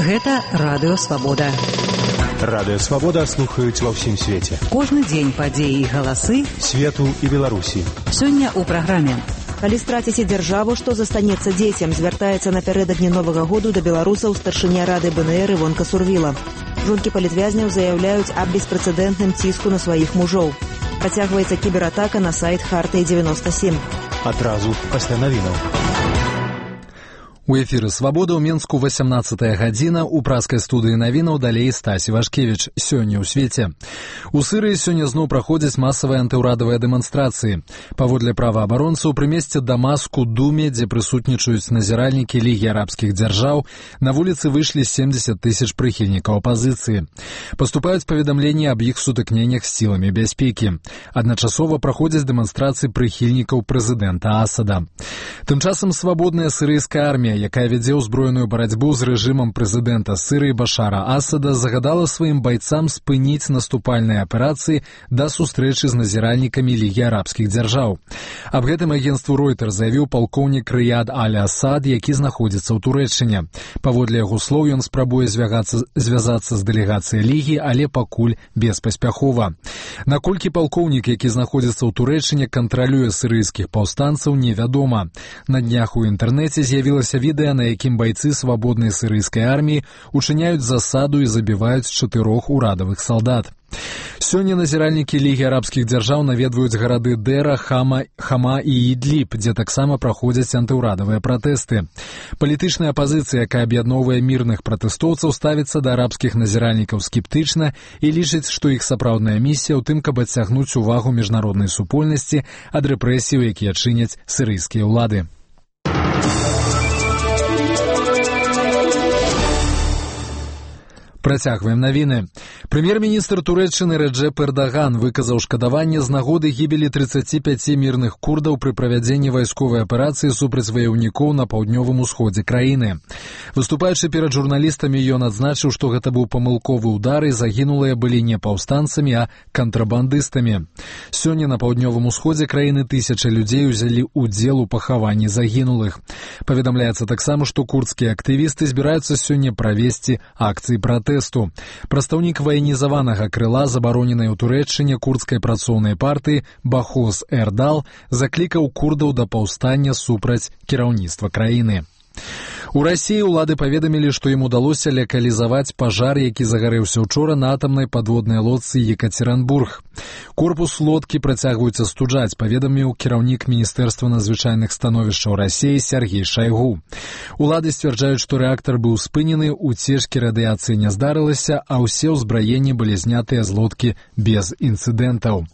Гэта Радыё Свабода. Радыё Свабода слухаюць ва ўсім свеце. Кожны дзень падзеі і галасы свету і Беларусі. Сёння ў праграме. Калі страціце дзяржаву, што застанецца дзецям, звяртаецца напярэдадні Новага году да беларусаў старшыня Рады БНР Івонка Сурвіла. Жонкі палітвязняў заяўляюць аб беспрэцэдэнтным ціску на сваіх мужоў. Працягваецца кібератака на сайт Хартыі-97. Адразу пасля навінаў. У эфіры «Свабода» ў Менску 18-я гадзіна, у праскай студыі навінаў далей Стасі Вашкевіч. Сёння ў свеце. У Сырыі сёння зноў праходзяць масавыя антыўрадавыя дэманстрацыі. Паводле праваабаронцаў, пры месцы Дамаску, Думе, дзе прысутнічаюць назіральнікі Лігі арабскіх дзяржаў, на вуліцы выйшлі 70 тысяч прыхільнікаў апазіцыі. Паступаюць паведамленні аб іх сутыкненнях з сіламі бяспекі. Адначасова праходзяць дэманстрацыі прыхільнікаў прэзідэнта Асада. Тым часам свабодная сірыйская армія, якая вядзе ўзброеную барацьбу з рэжымам прэзідэнта Сырыі Башара Асада, загадала сваім байцам спыніць наступальныя аперацыі да сустрэчы з назіральнікамі Лігі арабскіх дзяржаў. Аб гэтым агенцтву Ройтер заявіў палкоўнік Рыяд Аль-Асад, які знаходзіцца ў Турэччыне. Паводле яго слоў, ён спрабуе звязацца з дэлегацыяй Лігі, але пакуль беспаспяхова. Наколькі палкоўнік, які знаходзіцца ў Турэччыне, кантралюе сырыйскіх паўстанцаў, невядома. На днях у інтэрнэце з'явілася відэа, на якім байцы свабоднай сырыйскай арміі учыняюць засаду і забіваюць 4 урадавых салдат. Сёння назіральнікі Лігі арабскіх дзяржаў наведваюць гарады Дэра, Хама і Ідліб, дзе таксама праходзяць антыўрадавыя пратэсты. Палітычная апазіцыя, якая аб'ядноўвае мірных пратэстоўцаў, ставіцца да арабскіх назіральнікаў скептычна і лічыць, што іх сапраўдная місія ў тым, каб адцягнуць увагу міжнароднай супольнасці ад рэпрэсіяў, якія чыняць сырыйскія ўлады. Працягваем навіны. Прэм'ер-міністр Турэччыны Рэджэп Эрдаган выказаў шкадаванне з нагоды гібелі 35 мірных курдаў пры правядзенні вайсковай аперацыі супраць ваяўнікоў на паўднёвым усходзе краіны. Выступаючы перад журналістамі, ён адзначыў, што гэта быў памылковы ўдар і загінулыя былі не паўстанцамі, а кантрабандыстамі. Сёння на паўднёвым усходзе краіны тысячы людзей узялі ўдзел у пахаванні загінулых. Паведамляецца таксама, што курдскія актывісты збіраюцца сёння правесці акцыі пратэсту. Прадстаўнік ваенізаванага крыла забароненай у Турэччыне курдскай працоўнай партыі Бахос Эрдал заклікаў курдаў да паўстання супраць кіраўніцтва краіны. У Расіі ўлады паведамілі, што ім удалося лакалізаваць пажар, які загарэўся учора на атамнай падводнай лодцы Екатеринбург. Корпус лодкі працягваюць астуджаць, паведаміў кіраўнік Міністэрства надзвычайных становішчаў Расіі Сергей Шайгу. Улады сцвярджаюць, што рэактар быў спынены, уцечкі радыяцыі не здарылася, а ўсе ўзбраенні былі знятыя з лодкі без інцыдэнтаў.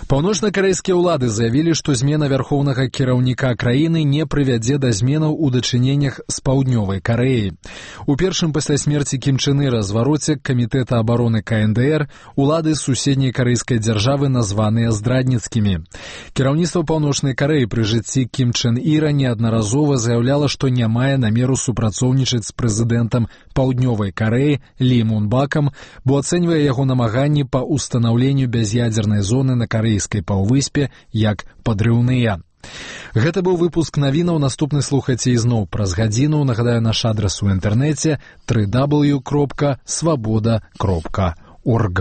Паўночна-карэйскія ўлады заявілі, што змена вярхоўнага кіраўніка краіны не прывядзе да зменаў у дачыненнях з паўднёвай Карэяй. У першым пасля смерці Кім Чен Іра звароце Камітэта абароны КНДР улады суседняй карэйскай дзяржавы названыя здрадніцкімі. Кіраўніцтва Паўночнай Карэі пры жыцці Кім Чен Іра неаднаразова заяўляла, што не мае намеру супрацоўнічаць з прэзідэнтам Паўднёвай Карэі Лі Мун Бакам, бо ацэньвае яго намаганні па ўстанаўленню бяз'ядзернай зоны на карэйскай паўвыспе як падрыўныя. Гэта быў выпуск навінаў, наступны слухайце ізноў праз гадзіну. Нагадаю, наш адрас у інтэрнэце www.swaboda.org.